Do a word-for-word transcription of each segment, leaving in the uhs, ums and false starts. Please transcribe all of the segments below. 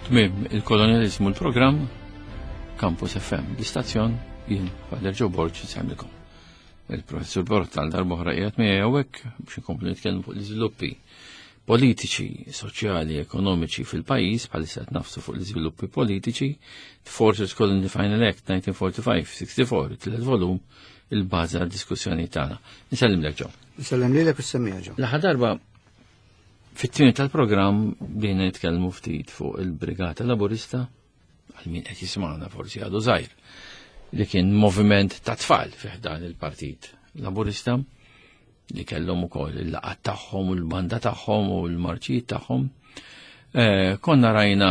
Tmiem il-kolonializmu l-programm Campus F M, l-istazzjon, jien Father Joe Borg insellmilkom. Il-professur Borg tal darb'oħra qiegħed miegħi hawnhekk biex inkomplu nitkellmu fuq l-iżviluppi politiċi, soċjali, ekonomiċi fil-pajjiż. Bħalissa qed nagħfsu fuq l-iżviluppi politiċi, The Fortress Colony Final Act elf disa' mija u erbgħa u erbgħin sieħta u sitta, tielet volum, il-bażi għad-diskussjoni tagħna. Nsellimlek, Joe. Nsellem lilek u s-semmiegħa, Joe. L-aħħar darba fit-tieni tal-programm bdejna nitkellmu ftit fuq il-Brigata Laburista, għal min qed jismagħna forsi għadu żgħir, li kien moviment ta' tfal fih dan il-Partit Laburista li kellhom ukoll il-laqgħat tagħhom u l-banda tagħhom u l-marċijiet tagħhom. Eh, konna rajna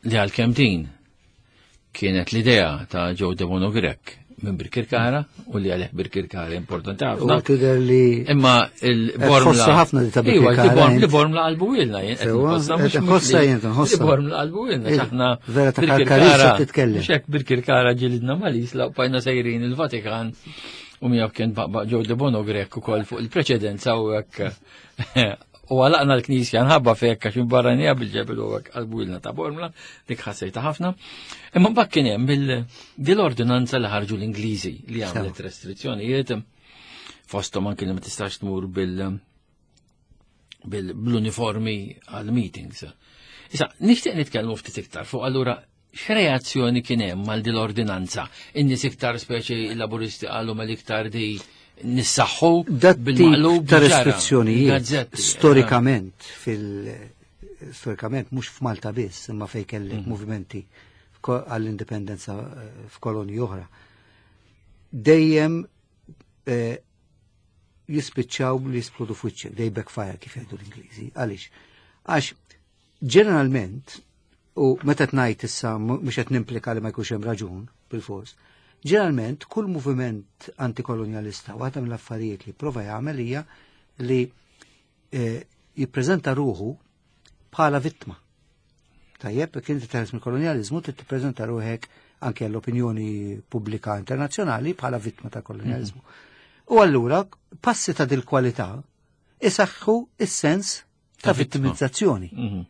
li għalkemm din kienet l-idea ta' Joe Debono Grech minn Birkirkara u li għalih Birkirkara importanti ħafna. U tidher li Imma il-Bormla. Tħossha ħafna li ta' Iva, li Birkirkara, Borm- int. Li Bormla qalbu ilna. Jien qed Sewa, nħossha mhux qed nħossha li- jien, nħossha. Li Bormla qalbu ilna. Il- Aħna vera ta' Birkirkara- Karkarissa titkellem. Mhux hekk, Birkirkara ġilidna mal-Isla u bqajna sejrin il-Vatikan u miegħu kien baqbaq Joe Debono Grech ukoll fuq il-preċedenza u hekk. U għalaqna l-knisja nħabba fekk għax barranija bil-ġebel u hekk qalbu ilna ta' Bormla, dik ħassejta ħafna. Imma mbagħad kien hemm il- dil-ordinanza li ħarġu l-Ingliżi li għamlet restrizzjonijiet, fosthom anke li ma tistax tmur bil bil- bl-uniformi għal meetings. Issa, nixtieq nitkellmu ftit iktar fuq allura x'reazzjoni kien hemm għal dil-ordinanza. In-nies iktar, speċi il-Laburisti, qalu mal iktar di nissaħħu Dat tip bil-maqlub ta' ġara, restrizzjonijiet il-gazzetti. storikament fil storikament mhux f'Malta biss, imma fejn kellek Mhm. movimenti f'ko- għall-indipendenza eh, f'kolonji oħra. Dejjem eh, jispiċċaw li jisplodu f'wiċċek, they backfire kif jgħidu l-Ingliżi. Għaliex? Għax ġeneralment, u meta tnajt issa mhux qed nimplika li ma jkunx hemm raġun bil-fors, ġeneralment kull moviment antikolonialista waħda mill-affarijiet li prova jagħmel hija li eh, jippreżenta ruħu bħala vittma. Tajjeb, jekk inti teħles mill-kolonializmu, trid tippreżenta ruħek anke l-opinjoni pubblika internazzjonali bħala vittma ta' kolonializmu. U allura passi ta' dil-kwalità isaħħu is-sens ta' Ta' vittma. vittimizzazzjoni. Mhm.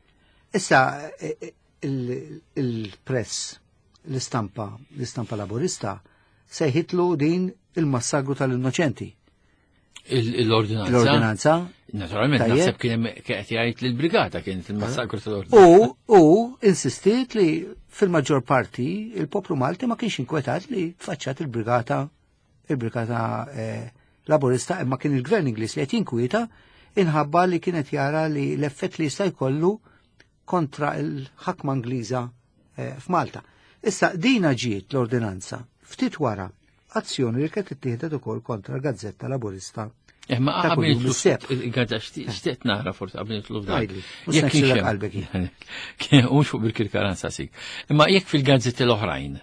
Issa eh, eh, il- il-press, l-istampa, l-istampa laburista sejħitlu din il-massagru tal-innoċenti. Il- L-ordinanza. L-ordinanza. Naturalment, Tajjeb. naħseb kien hemm qed jgħid li l-brigata kienet il-massakru tal-ordinanza. U, u insistiet li fil-maġġor parti il-poplu Malti ma kienx inkwetat li tfaċċat il-brigata il-brigata eh, laburista, imma kien il-gvern Ingliż li qed jinkwieta inħabba li kienet jara li l-effett li jista' jkollu kontra il-ħakma Ingliża eh, f'Malta. Issa dina ġiet l-ordinanza ftit wara azzjoni li kienet ittieħdet ukoll kontra l-Gazzetta Laburista Imma ta' qabel kuljum nitlu is-Sebt. Il-gazza xtieq nara forsi qabel nitlu f'dan. Għidli, mhux Jekk ngħidilek kienx hemm- qalbek jien. Kien mhux fuq Birkirkara sik. Imma jekk fil-gazzetti l-oħrajn,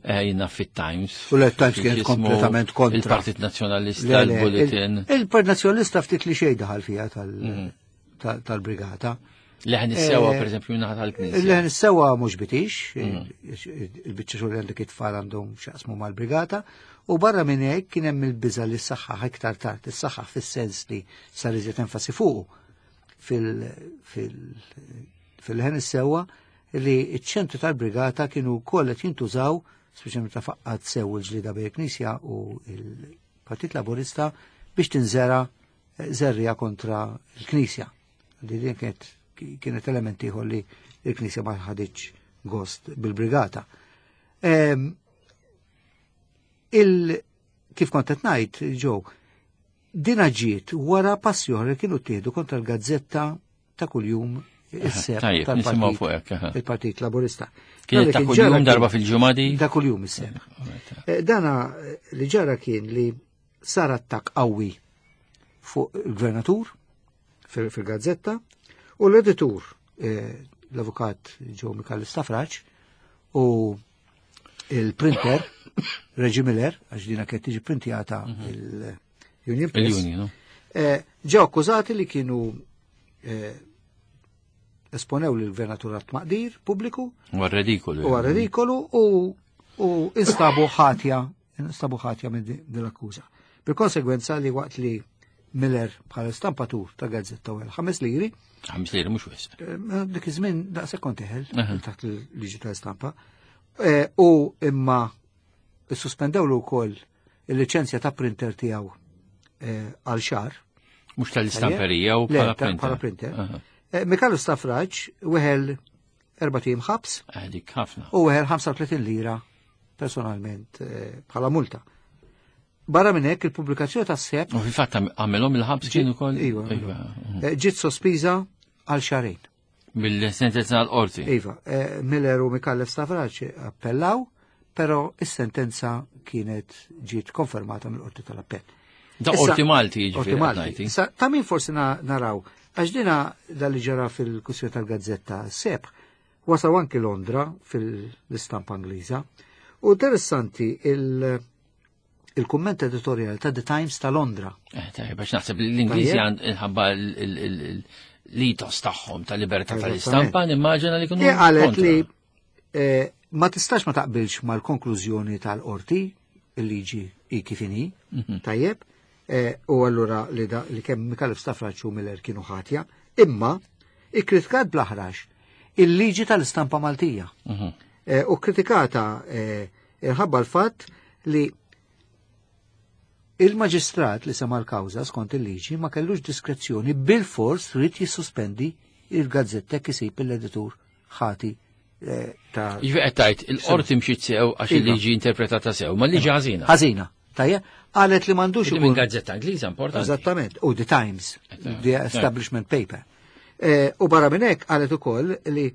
eh, jiena fit-Times. U l-Times kienet x'ismu, kompletament kontra. Il-Partit Nazzjonalista, Le, le, il-Bulletin. il- Il-Partit Nazzjonalista ftit li xejn daħal fiha tal- Mhm. tal- tal-brigata. Leħen is-Sewwa, Eh, per eżempju, naħa tal-Knisja. Leħen is-Sewwa mhux bitix, Mhm. il-biċċa xogħol għandek it-tfal għandhom x'jaqsmu mal-brigata, u barra minn hekk kien hemm il-biża li s-saħħa iktar tard, is-saħħa fis-sens li sar iżjed enfasi fuqu fil- fil- fil-Leħen is-Sewwa li ċ-ċentru tal-brigata kienu wkoll qed jintużaw, speċjalment ta' faqqat sew il-ġlida bejn il-Knisja u il-Partit Laburista, biex tinżera żerriegħa kontra l-Knisja. Li din kienet kienet element ieħor li l-Knisja ma ħaditx gost bil-brigata. Em, il kif kont qed ngħid, Joe, dina ġiet wara passi oħra li kienu ttieħdu kontra l-gazzetta ta' kuljum is-Sebt Tajjeb, nisimgħu tal-Partit fuq hekk, aha. il-Partit Laburista. Kienet ta' Dak li kuljum ġara kien- darba fil-ġimgħa di? Ta' kuljum is-Sebt. Eh, Dana eh, li ġara kien li sar attak qawwi fuq il-gvernatur fil- fil-gazzetta u l-editur, eh, l-avukat Joe Micallef Stafrace, u il-printer Reggie Miller, għax dina kienet tiġi printjata il-Union Press, Il-Union, no? eh, ġew akkużati li kienu eh, esponew l-gvernatur għat maqdir pubbliku Huwa redikolu. u ridikolu u u instabu ħatja instabu ħatja minn din l-akkuża. Bil-konsegwenza li waqt li Miller bħala stampatur ta' gazzetta u ħames liri. Ħames liri mhux wisq. Eh, dik iż-żmien daqshekk kont teħel taħt il-liġi tal-istampa. Eh, u imma sospendewlu wkoll il-liċenzja ta' printer tiegħu eh, għal xahar. Mhux tal-istamperija u bħala printer. Bħala printer. Micallef Stafrace weħel erbat ijiem ħabs. Dik ħafna. U weħel ħamsa u tletin lira personalment bħala multa. Barra minn hekk, il-pubblikazzjoni tas-Sebħ. U fil-fatt għamilhom il-ħabs kienu ukoll. Iva. Eh, ġiet sospiża għal xahrejn. Bil-sentenza għal-qorti. Iva, eh, Miller u Micallef Stafrace appellaw, però is-sentenza kienet ġiet konfermata mill-qorti tal-appell. Da qorti Malti. Qorti Malti. Ta' min forsi naraw, għax dina dal-li ġara fil-kwistjoni tal-gazzetta Sebħ, wasaw anki Londra fil-istampa Ingliża. U interessanti il- il-kumment editorial ta' The Times ta' Londra. Eh, tajjeb, biex naħseb l-Ingliżi għand l-ethos tagħhom ta' libertà tal-istampa, nimmaġina li kienu. Qalet li eh, ma tistax ma taqbilx mal-konklużjoni tal-qorti, il-liġi i kif inhi, mhm. tajjeb, eh, u allura li, da, li kemm Micallef Stafrace u Miller kienu ħatja, imma ikkritikat bl-aħrax il-liġi tal-istampa Maltija. Mhm. U kritikata minħabba l-fatt li il-maġistrat li sema l-kawża skont il-liġi ma kellux diskrezzjoni, bil-fors ried jissospendi il-gazzetta kisib l-editur ħati eh, ta' Jiġifieri qed tgħid il-qorti mxiet sew għax iva. il-liġi interpretata sew, ma l-liġi ħażina. Ħażina. Tajja, qalet li m'għandux minn gazzetta Ingliża importanti. Eżattament, u The Times, the establishment paper. Eh, u barra minn hekk qalet ukoll li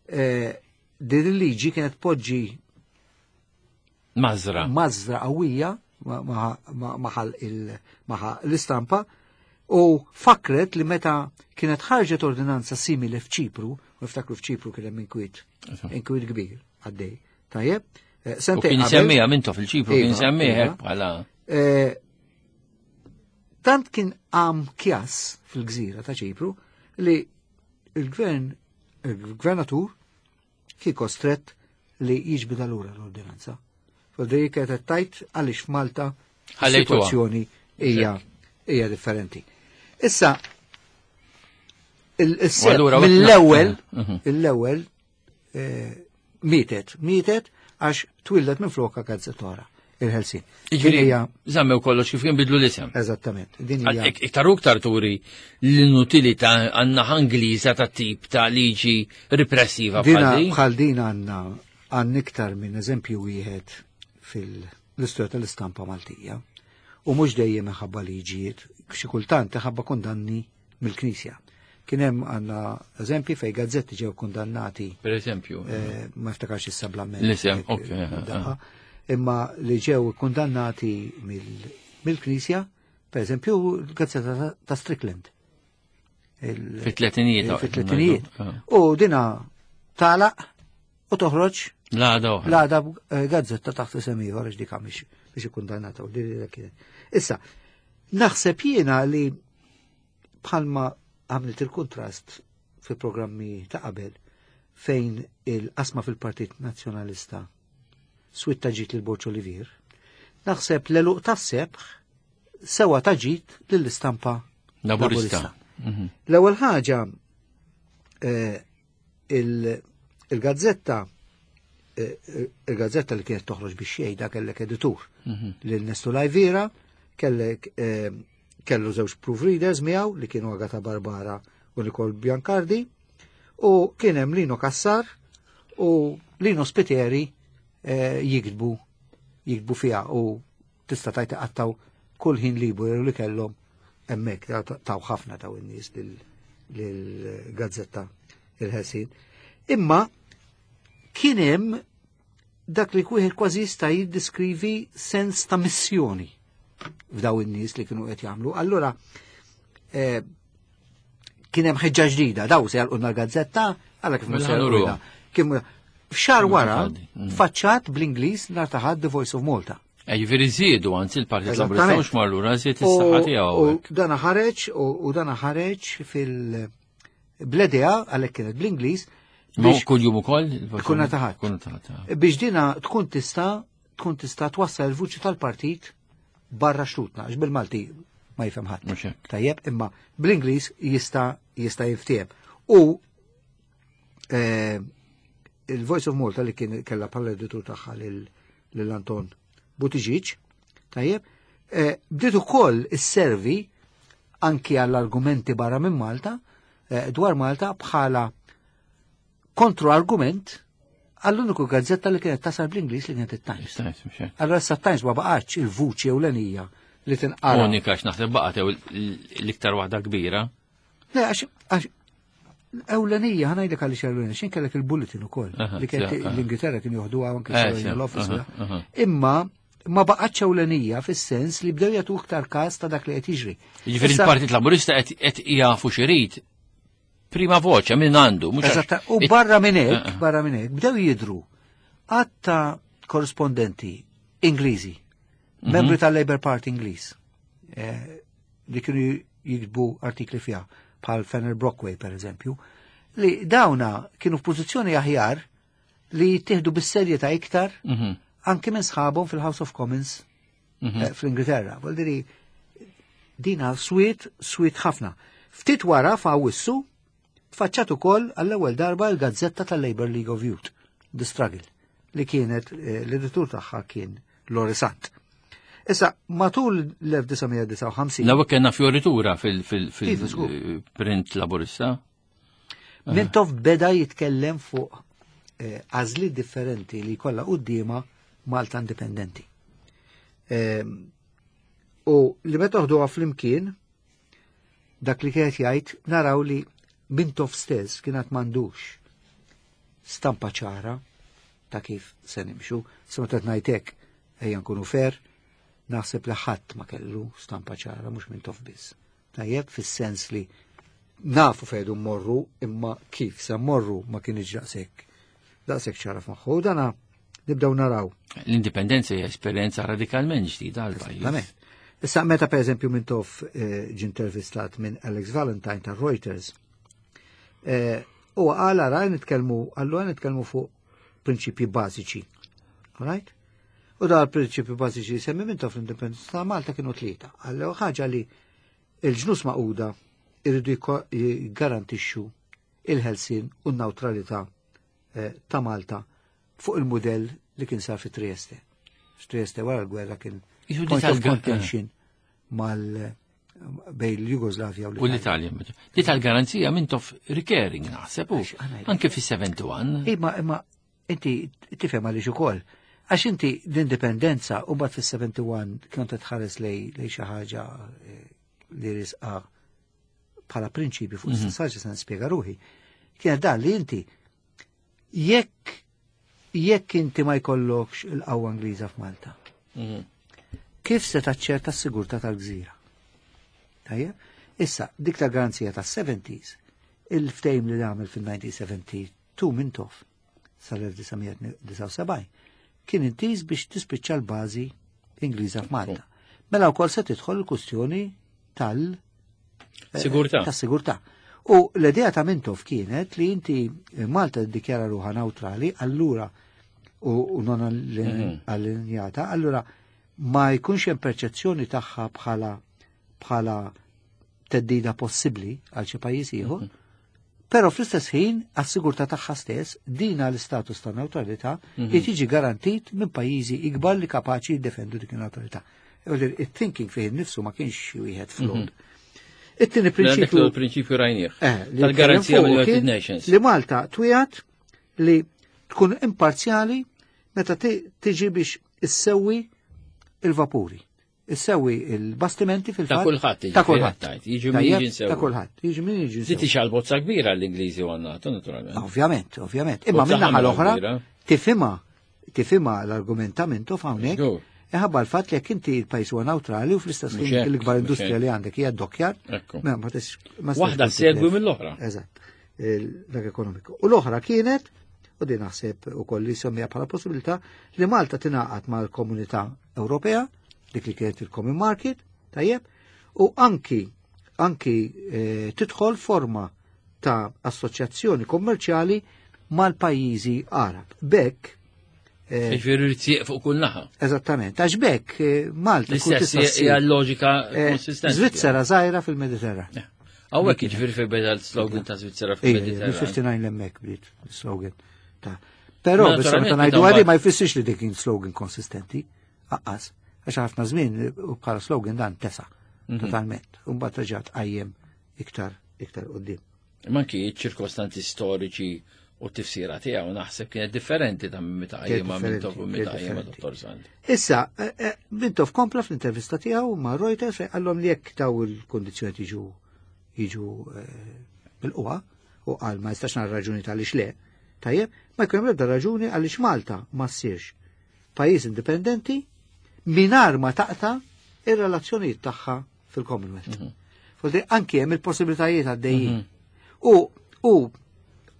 eh, din il-liġi kienet poġġi Mażra. Mażra qawwija maħal l-istampa u fakret li meta kienet ħarġet ordinanza simili f'Ċipru, u niftakru f'Ċipru kien hemm inkwiet, inkwiet kbir għaddej. Tajjeb, eh, sentejn. Kien semmija minto fil-Ċipru, kien iva, semmija iva. bħala. Eh, tant kien għam kjas fil-gżira ta' Ċipru li il-gvern, il-gvernatur kien kostret li jiġbida lura l-ordinanza. Fodri kienet tajt għaliex f'Malta situazzjoni hija hija differenti. Issa, mill-ewwel, mhm. l-ewwel eh, mietet, mietet għax twildet minn floka gazzetta Il-Ħelsien. Jiġifieri żammew kollox kif kien, bidlu l-isem. Eżattament. Din hija Iktar u iktar turi l-inutilità għandna Ingliża ta' tip ta' liġi repressiva. Bħal din għandna għandna iktar minn eżempju wieħed fil-istorja tal-istampa Maltija. U mhux dejjem minħabba liġijiet, xi kultant ħabba kundanni mill-Knisja. Kien hemm għandna eżempji fej gazzetti ġew kundannati. Per eżempju. Eh, ma niftakarx issa bl-amment. L-isem, ok. Imma li ġew kundannati mill-Knisja, per eżempju, l-gazzetta ta' Strickland. Fit-tletinijiet. Fit-tletinijiet. U dina tagħlaq u toħroġ L-għada oħra. L-għada eh, gazzetta taħt isem ieħor għax dik mhix biex ikkundannata u din kienet. Issa, naħseb jiena li bħalma għamlet il-kontrast fil-programmi ta' qabel fejn il-qasma fil-Partit Nazzjonalista switta ġit lil Borg Olivier, naħseb l-għeluq tas-Sebħ sewa ta ġid lill-istampa Laburista. Mhm. L-ewwel ħaġa, eh, il-gazzetta eh, il-gazzetta li kienet toħroġ biex jgħidha kellek editur mhm. lil Nestu Lajvira, kellek eh, kellu żewġ proofreaders miegħu li kienu Agata Barbara u Nicole Biancardi u kien hemm Lino Cassar u Lino Spiteri eh, jiktbu jiktbu fiha u tista' tajt qattaw kull ħin liberu li kellhom hemmhekk, taw ħafna taw in-nies lill-gazzetta Il-Ħelsien. Imma kien hemm dak li wieħed kważi jista' jiddiskrivi sens ta' missjoni f'daw in-nies li kienu qed jagħmlu. Allura eh, kien hemm ħeġġa ġdida, daw se jagħlqulna l-gazzetta, għalla kif Mela se nuruha. Kien f'xahar wara Mm. faċċat bl-Ingliż nhar ta' Ħadd The Voice of Malta. Eh, Jiġifieri żiedu, anzi l-Partit Laburista Eżattament. mhux marlura żied is-saħħa tiegħu. U hekk. dana ħareġ u u dana ħareġ fil-bledea għalhekk kienet bl-Ingliż Ma biex kull jum ukoll? Kull nhar ta' Ħadd. Kull nhar ta' Ħadd. Biex dina tkun tista' tkun tista' twassal il-vuċi tal-partit barra xtutna, għax bil-Malti ma jifhem ħadd. Tajjeb, imma bl-Ingliż jista' jista' jiftiehem. U eh, il-Voice of Malta li kien kella bħala editur tagħha lil Anton Buttigieg, tajjeb, eh, bdiet ukoll isservi anki għall-argumenti barra minn Malta, eh, dwar Malta bħala kontro-argument għall-uniku gazzetta li kienet tasal bl-Ingliż li kienet it-Times. Allora issa Times ma baqgħetx il-vuċi ewlenija li tinqara. Unika x'naħseb baqgħet l-iktar waħda kbira. Le, għax ewlenija, ħa ngħidlek għaliex ewlenija, xin kellek il-Bulletin ukoll, li kienet l-Ingilterra kien joħduha anke eh, l-office. Imma ma baqgħetx ewlenija fis-sens li bdew jagħtu iktar każ ta' dak li qed jiġri. Jiġifieri il-Partit Laburista qed jafu x'irid prima voċe minn għandu. Eżatt, u barra minn hekk, eh, eh. barra minn hekk, bdew jidru għadd ta' korrispondenti Ingliżi, mhm. membri tal-Labour Party Ingliż, eh, li kienu jiktbu artikli fiha, bħal Fenner Brockway per eżempju, li dawna kienu f'pożizzjoni aħjar li jittieħdu bis-serjetà iktar mhm. anke minn sħabhom fil-House of Commons mhm. fl-Ingilterra. Vuol dire dina swiet, swiet ħafna. Ftit wara f'Awwissu tfaċċat ukoll għall-ewwel darba l-gazzetta tal-Labour League of Youth, The Struggle, li kienet eh, l-editur tagħha kien Lorry Sant. Issa, matul l-elf disa' mija disgħa u ħamsin. L-ewwel kellna fioritura fil-print Laburista. Mintoff beda jitkellem fuq eh, għażliet differenti li kollha quddiema Malta indipendenti. Ehm, u li meta toħduha flimkien, dak li kienet jgħid naraw li Mintoff stess kienet m'għandux stampa ċara ta' kif se nimxu. Se meta ngħidlek ejja nkunu fair, naħseb li ħadd ma kellu stampa ċara mhux Mintoff biss. Tajjeb, fis-sens li nafu fejn morru imma kif se morru ma kienx daqshekk daqshekk ċara f'moħħu. Dana nibdew naraw. L-indipendenza hija esperjenza radikalment ġdida għal pajjiż. Issa meta per eżempju Mintoff eh, ġie intervistat minn Alex Valentine ta' Reuters, eh, u għala raj nitkellmu, allura nitkellmu fuq prinċipji bażiċi. Right? U da l-prinċipji bażiċi semmi Mintoff l-indipendenza ta' Malta kienu tlieta. Għallu ħaġa li il-Ġnus Magħquda irridu jgarantixxu il-ħelsin u n-neutralità eh, ta' Malta fuq il-modell li kien sar fi Trieste. Trieste wara l-gwerra kien point of contention mal bejn l-Jugoslavja u l-Italja. Di tal-garanzija Mintoff recurring naħseb anke fi sebgħa u sebgħin. Imma imma inti tifhem għaliex ukoll. Għax inti l-indipendenza u mbagħad fis-sebgħa u wieħed kont tħares lej lej xi ħaġa eh, li risqa bħala prinċipju fuq mm -hmm. se nispjega ruħi. Kienet dan li inti jekk jekk inti ma jkollokx il-qawwa Ingliża f'Malta. Mm -hmm. Kif se taċċerta s-sigurtà tal-gżira? Tajjeb? Issa, dik ta' garanzija ta' seventies, il-ftehim li għamel fil-elf disa' mija sebgħa u tnejn Mintoff sal-elf disa' mija disgħa u sebgħin kien intiż biex tispiċċa l-bażi Ingliża f'Malta. Mela wkoll se tidħol il-kustjoni tal- Sigurtà. Tas-sigurtà. U l-idea ta' Mintoff kienet li inti Malta ddikjara ruħa neutrali, allura u non mhm. allinjata, allura ma jkunx hemm perċezzjoni tagħha bħala bħala theddida possibbli għal xi pajjiż ieħor. Mhm. Però fl-istess ħin għas-sigurtà tagħha stess dina l-istatus ta' neutralità mhm. li tiġi garantit minn pajjiżi ikbar li kapaċi jiddefendu dik il-neutralità. Il-thinking fih nifsu ma kienx wieħed flawed. It-tieni prinċipju. Il-prinċipju rajnieh. Eh, tal-garanzija mill-United Nations. Li Malta twiegħed li tkun imparzjali meta tiġi biex issewwi il-vapuri. Issewwi il-bastimenti fil-fatt. Ta' kulħadd. Ta' kulħadd. Jiġu min jiġi. Ta' kulħadd. Jiġu min jiġi. Zitti xal bozza kbira l-Ingliżi u għannatu, naturalment. Ovvjament, ovvjament. Imma minna l-oħra tifhimha tifhimha l-argumentamentu hawnhekk. Iħabba l-fatt li jekk inti il-pajjiż huwa neutrali u fl-istess ħin l-ikbar industrija li għandek hija dockyard. Waħda segwi mill-oħra. Eżatt. Dak ekonomiku. U l-oħra kienet, u din naħseb ukoll li semmija bħala possibilità, li Malta tingħaqad mal-Komunità Ewropea, dik li kienet il-Common Market, tajjeb, u anki anki eh, tidħol forma ta' assoċjazzjoni kommerċjali mal-pajjiżi Arab. Bekk Eh, Ġifieri rrid fuq kull naħa. Eżattament. Għax bekk eh, Malta tkun L-istess tista' ssir, hija l-loġika eh, konsistenti. Svizzera żgħira fil-Mediterran. Hawnhekk jiġifieri fejn beda l-slogan ta' Svizzera Ejja, fil-Mediterran. mil-ħamsa u ħamsin l-emmek bdiet slogan ta' Però Ma bissa meta naturalment, ngħidu meta għadi mbagħad- ma jfissirx li dik kien slogan konsistenti, aqqas. Għax ħafna żmien u bħala slogan dan tesa Mhm. totalment. U mbagħad reġgħet qajjem iktar iktar qudiem. Manki ċirkostanzi storiċi u t-tifsira tiegħu naħseb kienet differenti ta' meta Kienet qajjimha Mintoff u differenti, meta kienet qajjimha differenti. Dottor Sant. Issa, eh, eh, Mintoff kompla fl-intervista tiegħu ma' Reuters fejn qallhom li jekk daw il-kondizzjoni jiġu jiġu bil-qwa u qal ma jistax nara raġuni tal le. Tajjeb, ma jkun hemm l-ebda raġuni għaliex Malta ma ssirx pajjiż indipendenti mingħajr ma taqta' ir-relazzjonijiet tagħha fil-Commonwealth. Vuol anki hemm il-possibilitajiet għaddejjin. U u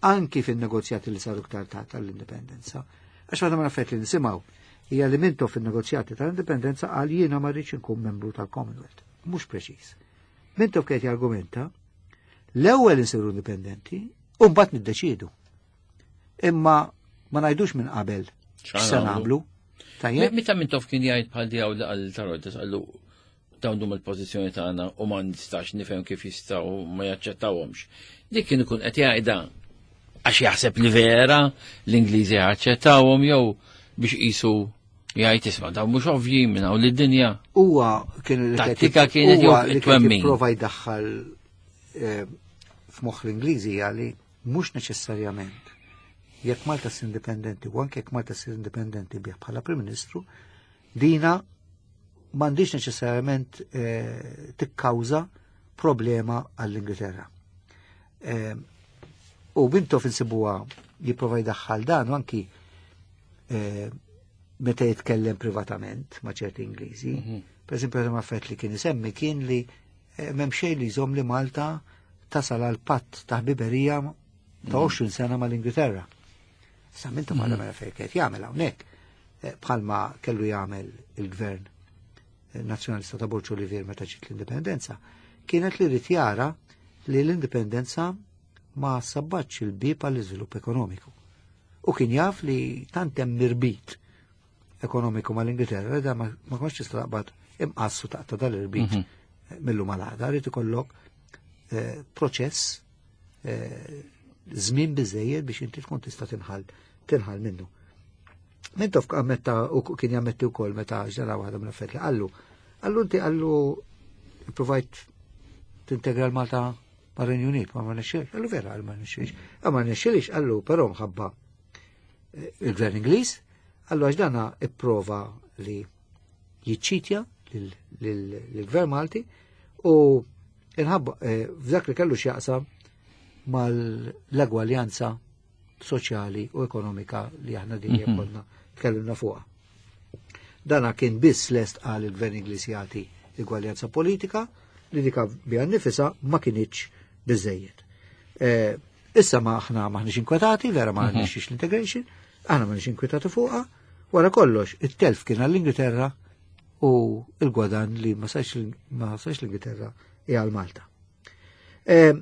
anki fin-negozjati li saru iktar tard tal-indipendenza. Għax waħda mill-affarijiet li nisimgħu hija li Mintoff fin-negozjati tal-indipendenza qal jiena ma rridx inkun membru tal-Commonwealth. Mhux preċiż. Mintoff kien jargumenta l-ewwel insiru indipendenti u mbagħad niddeċiedu. Imma ma ngħidux minn qabel x'se nagħmlu. Tajjeb? Meta Mintoff kien jgħid bħal dijaw li għal ta' Reuters qallu dawn huma l-pożizzjoni tagħna u ma nistax nifhem kif jistgħu ma jaċċettawhomx. Dik kien ikun qed jgħidha għax jaħseb li vera l-Ingliżi jaċċettawhom jew biex qisu jgħid isma' dawn mhux ovvji minn hawn lid-dinja. Huwa kien li qed Tattika kienet huwa jew li qed twemmin. jipprova jdaħħal eh, f'moħħ l-Ingliżi għali mhux neċessarjament jekk Malta ssir indipendenti u anke jekk Malta ssir indipendenti bih bħala Prim Ministru, dina m'għandix neċessarjament eh, tikkawża problema għall-Ingilterra. Eh, U Mintoff insibuha jipprova jdaħħal dan u anki eh, meta jitkellem privatament ma' ċerti Ingliżi. Per eżempju, għadha affett li kien isemmi kien li eh, m'hemm xejn li jżomm li Malta tasal għal patt ta' ħbiberija ta' għoxrin sena mal-Ingilterra. Sa Mintoff għadha mela fejn kien jagħmel hawnhekk eh, bħalma kellu jagħmel il-gvern eh, nazzjonalista ta' Borg Olivier meta ġiet l-indipendenza, kienet li rrid jara li l-indipendenza ma sabbatx il-bib għall-iżvilupp ekonomiku. U kien jaf li tant hemm irbit ekonomiku mal-Ingilterra, li da ma ma kontx tista' taqbad imqassu taqta' dal-irbit millu mal-għada, rrid ikollok eh, proċess eh, żmien biżejjed biex inti tkun tista' tinħall tinħall minnu. Mintoff ammetta u kien jammetti wkoll meta ġara waħda mill-affarijiet li qallu. Qallu inti qallu provajt tintegra l-Malta mar-Renju Unit, ma ma nexxilx. Qallu vera, qallu ma nexxilx. Ma ma nexxilx, qallu però mħabba eh, il-Gvern Ingliż, qallu għax dana ipprova li jiċċitja lill-Gvern Malti u inħabba eh, f'dak li kellu x'jaqsam mal-egwaljanza soċjali u ekonomika li aħna dejjem konna tkellimna fuqha. Dana kien biss lest għal il-Gvern Ingliż jagħti egwaljanza politika li dika biha nifisha ma kinitx biżejjed. Eh, Issa ma aħna maħniex inkwetati, vera ma nixix l-integration, aħna maħniex inkwetati fuqha, wara kollox it-telf kien għall-Ingilterra u il-gwadan li ma sarx ma sarx l-Ingilterra hija għal Malta. Eh,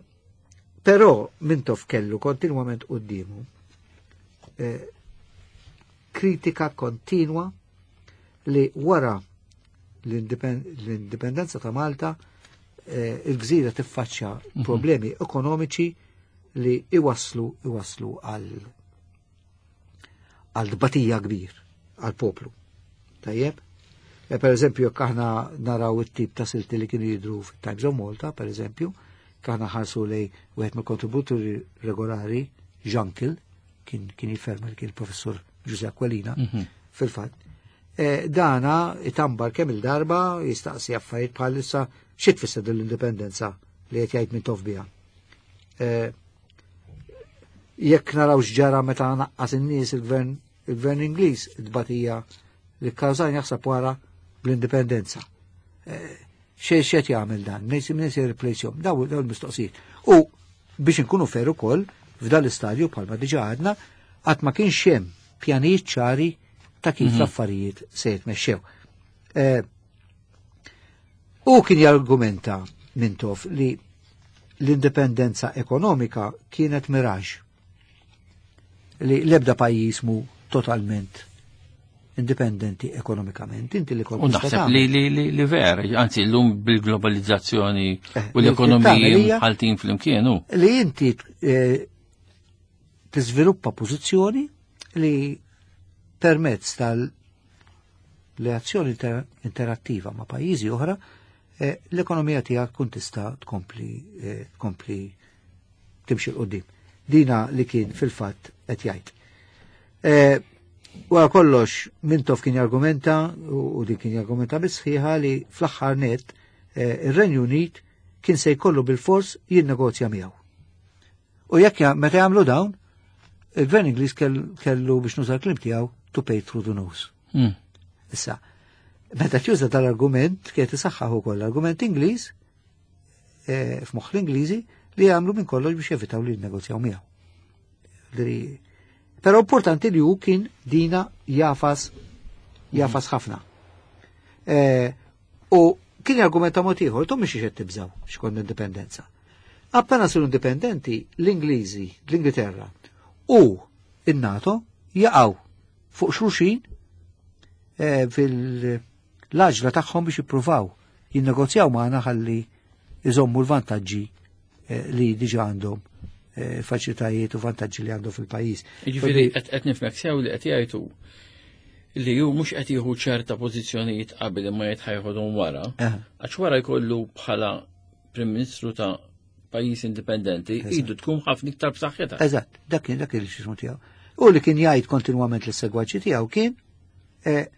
Però Mintoff kellu kontinwament quddiemu eh, kritika kontinwa li wara l-indipendenza ta' Malta eh, il-gżira tiffaċċja problemi ekonomiċi li iwaslu iwaslu għal għal dbatija kbir għal poplu. Tajjeb? E, per eżempju, jekk aħna naraw it-tip ta' silti li kienu jidru fit-Times of Malta, per eżempju, aħna ħarsu lej wieħed mill-kontributuri regolari, Jean kien kien jifferma li kien il-professur Giuseppe Aquilina, fil-fatt. E, dana itambar kemm il-darba jistaqsi affarijiet bħalissa xi tfisser l-indipendenza li qed jgħid Mintoff biha. E, jekk naraw x'ġara meta naqqas in-nies il-gvern il-gvern Ingliż id-batija li kkawżan jaħseb wara bl-indipendenza. E, Xej xed jagħmel dan, min min se jirreplacjhom, daw daw il-mistoqsijiet. U biex inkunu fair ukoll f'dan l-istadju bħalma diġà għadna qatt ma kienx hemm pjanijiet ċari ta' kif l-affarijiet se jitmexxew. Eh, U kien jargumenta Mintoff li l-indipendenza ekonomika kienet miraġ li l-ebda pajjiż mu totalment indipendenti ekonomikament, inti li U naħseb li li li li ver, anzi llum bil-globalizzazzjoni eh, u l-ekonomiji mħaltin flimkien hu. Li inti eh, tiżviluppa pożizzjoni li permezz tal-reazzjoni interattiva ma' pajjiżi oħra, eh, l-ekonomija tiegħek tkun tista' tkompli tkompli timxi 'l quddiem. Dina li kien fil-fatt qed jgħid. Wara kollox, Mintoff kien jargumenta, u din kien jargumenta bisħiħa li fl-aħħar net eh, ir-Renju Unit kien se jkollu bil-fors jinnegozja miegħu. U jekk meta jagħmlu dawn, il-Gvern Ingliż kellu biex nuża l-kliem tiegħu to pay through the nose. Hmm. Issa, meta tuża dal-argument kien isaħħaħ ukoll l-argument Ingliż eh, f'moħħ l-Ingliżi li jagħmlu minn kollox biex jevitaw li jinnegozjaw miegħu. Però importanti li hu kien dina jafas jafas ħafna. E, u kien argumenta mod ieħor, tom mhix qed tibżaw x'kont indipendenza. Appena siru indipendenti, l-Ingliżi, l-Ingilterra u in-NATO jaqgħu fuq xulxin e, fil-laġla tagħhom biex jippruvaw jinnegozjaw magħna ħalli iżommu l-vantaġġi e, li diġà għandhom Eh, faċilitajiet u vantaġġi li għandu fil-pajjiż. Jiġifieri qed nifhmek sew li qed jgħidu li hu mhux qed jieħu ċerta pożizzjonijiet qabel imma jgħid ħajħodhom wara, għax wara jkollu bħala Prim Ministru ta' pajjiż indipendenti, idu tkun ħafna iktar b'saħħitha. Eżatt, dak kien dak il-xismu tiegħu. U li kien jgħid kontinwament lis-segwaċi tiegħu kien eh,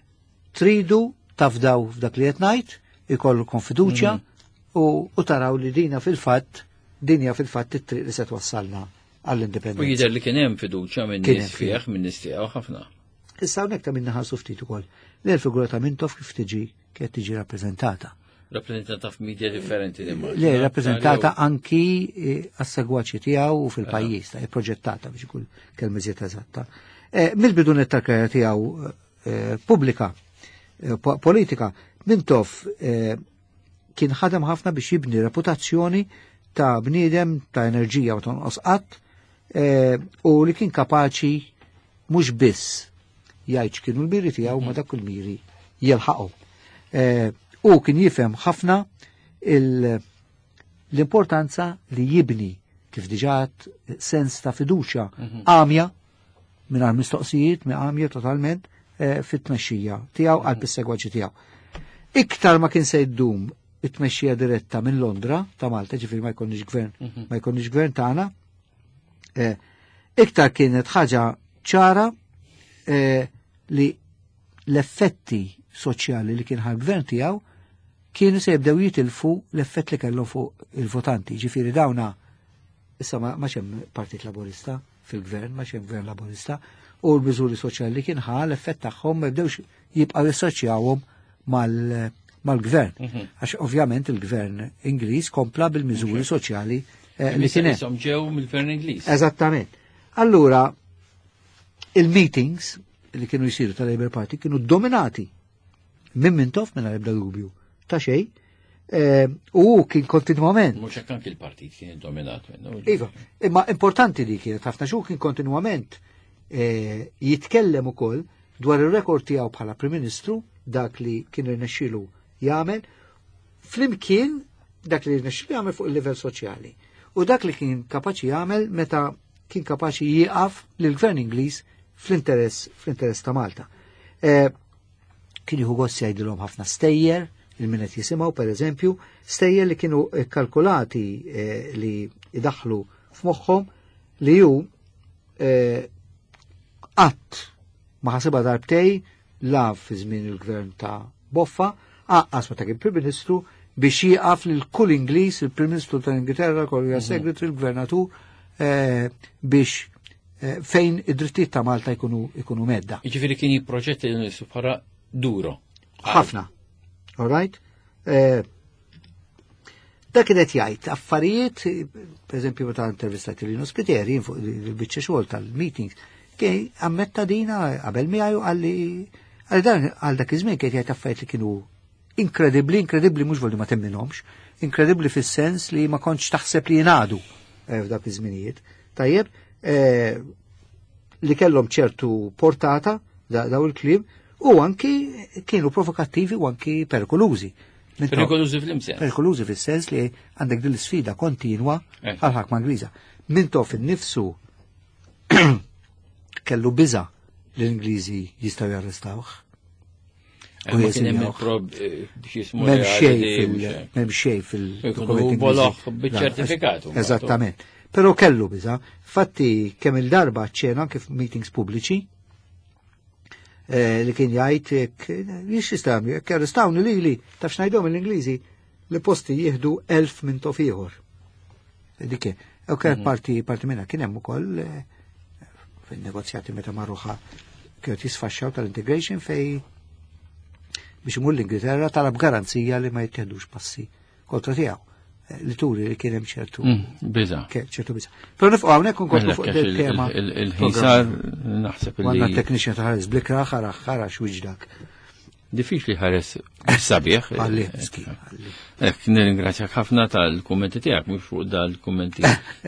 tridu tafdaw f'dak li qed ngħid, ikollu fiduċja mhm. u taraw li dina fil-fatt dinja fil-fatt it-triq li se twassalna għall-indipendenza. U jidher li kien hemm fiduċja minn nies fih, minn nies tiegħu ħafna. Issa hawnhekk ta' minna ħarsu ftit ukoll. Li l-figura ta' Mintoff kif tiġi kif tiġi rappreżentata. Rappreżentata f'media differenti li Le, rappreżentata anki eh, għas-segwaċi tiegħu u fil-pajjiż, ta' proġettata biex ikun kelma iżjed eżatta. Eh, mill-bidu net tal-karriera tiegħu eh, pubblika, politika, Mintoff kien ħadem ħafna biex jibni reputazzjoni ta' bniedem ta' enerġija u tonqos qatt eh, u li kien kapaċi mhux biss jgħid x'kienu l-miri tiegħu ma dak il-miri jilħaqhom. Eh, u kien jifhem ħafna l-importanza li jibni kif diġà sens ta' fiduċja mhm. għamja mingħajr mistoqsijiet, għamja totalment eh, fit-tmexxija tiegħu għal mhm. bis-segwaċi tiegħu. Iktar ma kien se jdum it-tmexxija diretta minn Londra ta' Malta, ġifieri ma jkollniex gvern, mhm. ma jkollniex gvern tagħna. Eh, iktar kienet ħaġa ċara eh, li l-effetti soċjali li kien ħal-gvern tiegħu kienu se jibdew jitilfu l-effett li kellhom fuq il-votanti. Ġifieri dawna issa ma hemm Partit Laburista fil-gvern, ma hemm gvern Laburista, u l-miżuri soċjali li kien ħa l-effett tagħhom ma jibdewx jibqgħu jassoċjawhom mal- mal-gvern. Mhm. Għax ovvjament il-gvern Ingliż kompla bil-miżuri soċjali eh, li kien hemm. Ġew mill-gvern Ingliż. Eżattament. Allura, il-meetings li kienu jisiru tal-Labour Party kienu dominati minn Mintoff minn ebda dubju ta' xejn eh, u kien kontinuament. Mhux hekk anki l-partit kien dominat minnu. Iva, imma importanti li kienet ħafna xu kien kontinuament eh, jitkellem ukoll dwar ir-rekord tiegħu bħala Prim Ministru dak li kien irnexxielu jagħmel flimkien dak li rnexxielu jagħmel fuq il-livell soċjali. U dak li kien kapaċi jagħmel meta kien kapaċi jieqaf lill-Gvern Ingliż fl-interess fl-interess ta' Malta. E, kien jieħu gost jgħidilhom ħafna stejjer, il-min qed jisimgħu pereżempju, stejjer li kienu kalkulati e, li idaħlu f'moħħhom li hu e, qatt ma ħasibha darbtej la fi żmien il-gvern ta' Boffa, aqqas meta kien Prim Ministru biex jieqaf lil kull Ingliż, il-Prim Ministru tal-Ingilterra, kollu mhm. Secretary, il-Gvernatur, eh, biex eh, fejn id-drittijiet ta' Malta jkunu ikunu medda. Jiġifieri kien jipproġetti l bħala duro. Ħafna. All right? Eh, dak kien qed jgħid affarijiet, per eżempju meta intervistat Lino Spiteri fuq il-biċċa xogħol tal-meetings, kien ammetta dina qabel miegħu għalli għal dan għal dak iż-żmien kien jgħid affarijiet li kienu inkredibbli, inkredibbli mhux volli ma temminhomx, inkredibbli fis-sens li ma kontx taħseb li jingħadu eh, f'dak iż-żminijiet. Tajjeb, eh, li kellhom ċertu portata daw il-kliem U anki kienu provokattivi u anki perikolużi. Perikolużi fl-imsens. Perikolużi fis-sens li għandek din l-sfida kontinwa eh. għal-ħakma Ingliża. Mintoff innifsu kellu biża li l-Ingliżi jistgħu jarrestawh. Eh, ma kien hemm eh, M'hemm xejn fil-dokumenti. Boloh biċ-ċertifikat. Eżattament. Però kellu biża. Fatti kemm il-darba ċena anke f'meetings pubbliċi eh, li kien jgħid jiex jistgħu jekk arrestawni lili taf x'ngħidhom l-Ingliżi li posti jieħdu elf Mintoff ieħor. Dik U kienet mhm. parti parti minna kien hemm ukoll fin-negozjati meta marruħa kienu jisfaxxaw tal-integration fej biex imur l-Ingilterra talab garanzija li ma jittieħdux passi kontra tiegħu eh, li turi li kien hemm ċertu mm, biża. ċertu biża. Però nifqgħu hawnhekk nkomplu fuq il-tema. Il-ħin sar naħseb li. Għandna technician ta' ħares blikra ħara ħara x'wiġdak. Diffiċli ħares sabiħ. Għalli, miskin. Ek, nirringrazzjak ħafna tal-kummenti tiegħek, mhux fuq dal-kummenti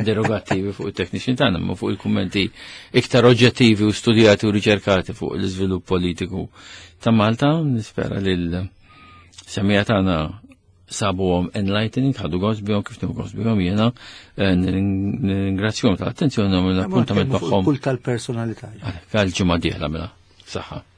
derogattivi fuq it-technician tagħna, ma fuq il-kummenti iktar oġġettivi u studjati u riċerkati fuq l-iżvilupp politiku ta' Malta. Nispera li l-semija tagħna sabuhom enlightening, ħadu gost bihom kif nieħu gost bihom jiena. Eh, nirringrazzjahom tal-attenzjoni u l-appuntament magħhom. Kull tal-personalità. Għal ġimgħa dieħla mela. Saħħa.